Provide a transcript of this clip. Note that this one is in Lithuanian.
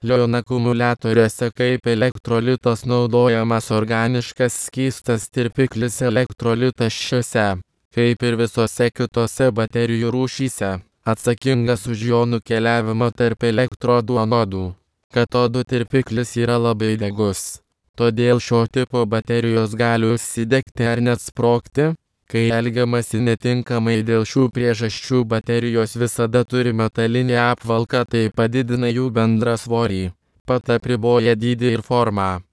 Lion akumuliatoriuose kaip elektrolitas naudojamas organiškas skystas tirpiklis elektrolitas šiuose, kaip ir visose kitose baterijų rūšyse, atsakingas už jonų keliavimą tarp elektrodų anodų. Katodų tirpiklis yra labai degus. Todėl šio tipo baterijos gali užsidegti ar net sprogti. Kai elgiamasi netinkamai dėl šių priežasčių, baterijos visada turi metalinį apvalką, tai padidina jų bendrą svorį, pat apriboja dydį ir formą.